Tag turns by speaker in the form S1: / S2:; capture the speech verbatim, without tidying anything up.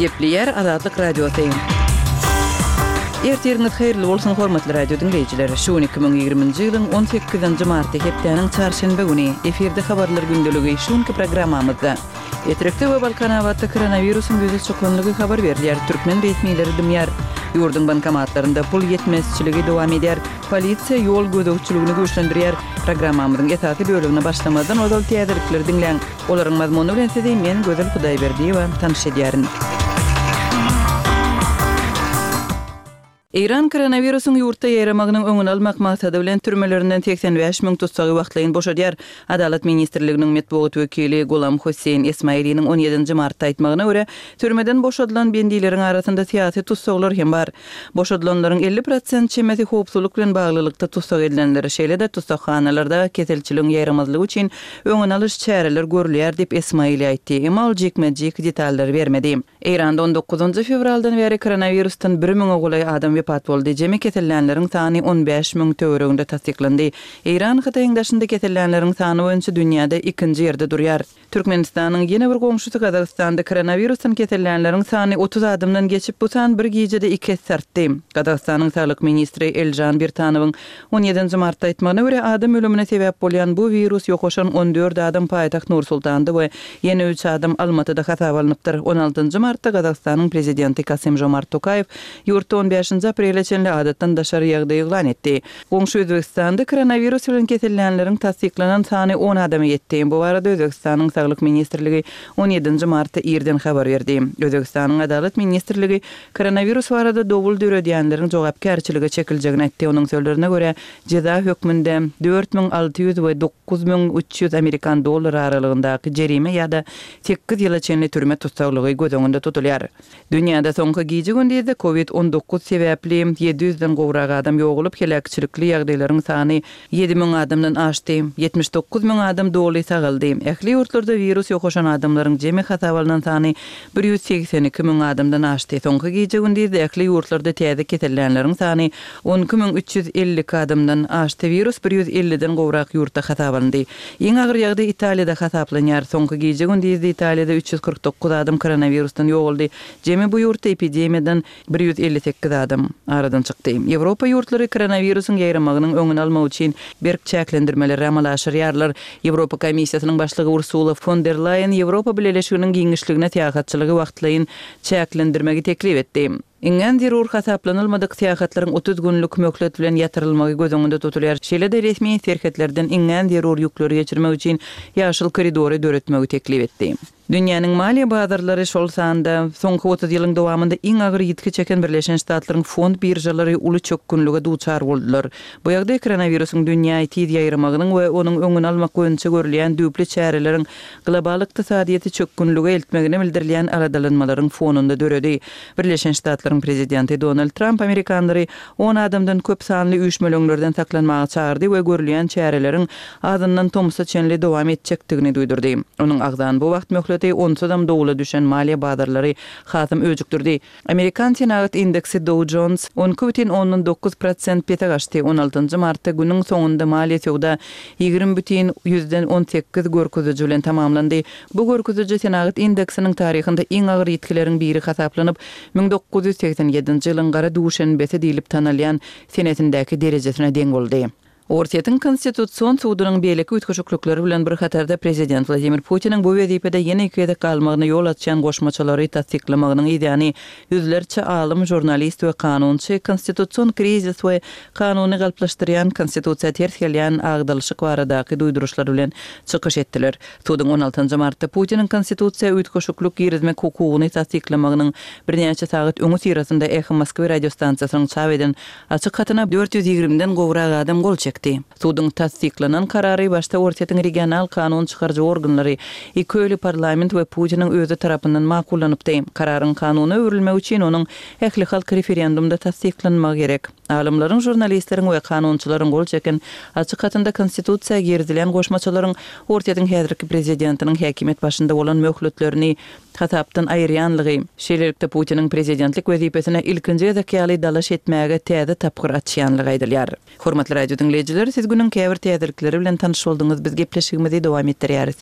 S1: Gepleýär Azatlyk Radiosy. Ertiriňiz haýyrly bolsun, hormatly radio diňleýjiler! Şu gün iki müň ýigriminji ýylyň on sekizinji marty, hepdäniň çarşenbe güni. Efirde Habarlar gündeligi. Şu günki programmamyzda Etrekde we Balkanabatda koronawirusyň ýüze çykanlygy habar berilýär, türkmen resmileri dymýar. Ýurduň bankomatlarynda pul ýetmezçiligi dowam edýär. Polisiýa ýol gözegçiligini güýçlendirýär. Programmamyzyň esasy bölegine başlamazdan ozal täzelikleri diňläň. Olaryň mazmuny bilen sizi men, Gözel Hudaýberdiýewa, tanyş edýärin. Eýran koronawirusyň ýurtda ýaýramagynyň öňüni almak maksady bilen türmelerinden segsen bäş müň tussagy wagtlaýyn boşadýar. Adalat ministrliginiň metbugat wekili Gulam Hossein Esmailiniň on ýedinji martda aýtmagyna görä, türmeden boşadylan bendileriň arasynda syýasy tussaglar hem bar. Boşadylanlaryň elli prosent çemesi howpsuzlyk bilen baglylykda tussag edilenler, şeýle-de tussaghanalarda keselçiligiň ýaýramazlygy üçin öňüni alyş çäreler görülýär diýip, Esmaili aýtdy. Emma ol jikme-jik detallary bermedi. Eýranda on dokuzynjy fewraldan bäri koronawirusdan bir müňe golaý adam wepat boldy, jemi kesellänleriň sany on bäş müň töwereginde tassyklandy. Eýran Hytaýyň daşynda kesellänleriň sany boýunça dünýäde ikinji ýerde durýar. Türkmenistanyň ýene bir goňşusy Gazagystanda koronawirusdan kesellänleriň sany otuz adamdan geçip, bu san bir gijede iki esse artdy. Gazagystanyň saglyk ministri Elžan Birtanowyň on ýedinji martda aýtmagyna görä, adam ölümine sebäp bolýan bu wirus ýokaşan on dört adam paýtagt Nur-Sultanda we ýene üç adam Almatyda hasaba alnypdyr. On altynjy martda Gazagystanyň prezidenti Kasym-Žomart Tokaýew ýurtda on bäşinji aprele çenli adatdan daşary ýagdaý yglan etdi. Goňşy Özbegistanda koronawirus bilen kesellänleriň tassyklanan sany on adama ýetdi. Bu barada Özbegistanyň Saglyk ministrligi on ýedinji martda irden habar berdi. Özbegistanyň Adalat ministrligi koronawirus barada dowul döredýänleriň jogapkärçilige çekiljegini aýtdy. Onuň sözlerine görä, jeza hökmünde dört müň alty ýüz we dokuz müň üç ýüz amerikan dollary aralygyndaky jerime ýa-da sekiz ýyla çenli türme tussaglygy göz öňünde tutulýar. Dünýäde soňky gije-gündizde kowid on dokuz sebäpli ýedi ýüzden gowrak adam ýogalyp, heläkçilikli ýagdaýlaryň sany ýedi müň adamdan aşdy. Ýetmiş dokuz müň adam doly sagaldy. Ähli ýurtlarda wirus ýokaşan adamlaryň jemi hasaba alnan sany bir ýüz segsen iki müň adamdan aşdy. Soňky gije-gündizde ähli ýurtlarda täze kesellänleriň sany on iki müň üç ýüz elli iki adamdan aşdy. Wirus bir ýüz elliden gowrak ýurtda hasaba alyndy. Iň agyr ýagdaý Italiýada hasaplanýar. Soňky gije-gündizde Italiýada üç ýüz kyrk dokuz adam koronawirusdan ýogaldy. Jemi bu ýurtda epidemiýadan bir ýüz elli sekiz adam aradan çykdy. Ýewropa ýurtlary koronawirusyň ýaýramagynyň öňüni almak üçin berk çäklendirmeleri amala aşyrýarlar. Ýewropa Komissiýasynyň başlygy Ursula fon der Laýen Ýewropa Bileleşiginiň giňişligine syýahatçylygy wagtlaýyn çäklendirmegi teklip etdi. Iňňän zerur hasaplanylmadyk syýahatlaryň otuz günlük möhlet bilen ýatyrylmagy göz öňünde tutulýar. Şeýle-de resmi serhetlerden iňňän zerur ýükleri geçirmek üçin ýaşyl koridory döretmegi teklip etdi. Dünýäniň maliýe bazarlary, şol sanda soňky otuz ýylyň dowamynda iň agyr ýitgi çeken Birleşen Ştatlaryň fond biržalary uly çökgünlige duçar boldular. Bu ýagdaý koronawirusyň dünýä tiz ýaýramagynyň we onuň öňüni almak boýunça görülýän düýpli çäreleriň global ykdysadyýeti çökgünlige eltmegine bildirilýän aladalanmalaryň fonunda döredi. Birleşen Ştatlaryň prezidenti Donald Tramp amerikanlary on adamdan köp sanly üýşmeleňlerden saklanmaga çagyrdy we görülýän çäreleriň azyndan tomsa çenli dowam etjekdigini duýdurdy. Onuň agzan bu wagt möhleti onsuzam dowla düşen maliýe bazarlary hasam öjükdirdi. Amerikan senagat indeksi Dow Jones on iki bütin ondan dokuz prosent pese gaçdy. On altynjy martda günüň soňunda maliýe söwda ýigrimi bütin ýüzden on sekiz görkeziji bilen tamamlandy. Bu görkeziji senagat indeksiniň taryhynda iň agyr ýitgileriň biri hasaplanyp, müň dokuz ýüz segsen ýedinji ýylyň gara duşenbesi diýlip tanalýan senesindäki derejesine deň boldy. Orsýetiň Konstitusion sudunyň beýleki üýtgeşiklikleri bilen bir hatarda prezident Wladimir Putiniň bu wezipede ýene iki gezek galmagyna ýol açýan goşmaçalary tassyklamagynyň yzýany ýüzlerçe alym, žurnalist we kanunçy konstitusion krizis we kanuny galplaşdyrýan konstitusiýa ters gelýän agdalyşyk baradaky duýduryşlar bilen çykyş etdiler. Suduň on altynjy martda Putiniň konstitusiýa üýtgeşiklik girizmek hukugyny tassyklamagynyň birnäçe sagat öňüsyrasynda Eho Moskwy radiostansiýasynyň çap eden açyk hatyna dört ýüz ýigrimiden gowrak adam gol çekdi. Suduň tassyklanan karary başda Orsýetiň regional kanun çykaryjy organlary, iki öýli parlament we Putiniň özi tarapyndan makullanypdy. Kararyň kanuna öwrülmegi üçin onuň ählihalk referendumda tassyklanmagy gerek. Alymlaryň, žurnalistleriň we kanunçylaryň gol çeken açyk hatynda konstitusiýa girizilen goşmaçalaryň Orsýetiň häzirki prezidentiniň häkimiýet başynda bolan möhletlerini hasapdan aýyrýanlygy, şeýlelikde Putiniň prezidentlik wezipesine ilkinji gezek ýaly dalaş etmäge täze tapgyr açýanlygy aýdylýar. Hormatly radio diňleýjiler, siz günüň käbir täzelikleri bilen tanyş bolduňyz, biz gepleşigimizi dowam etdirýäris.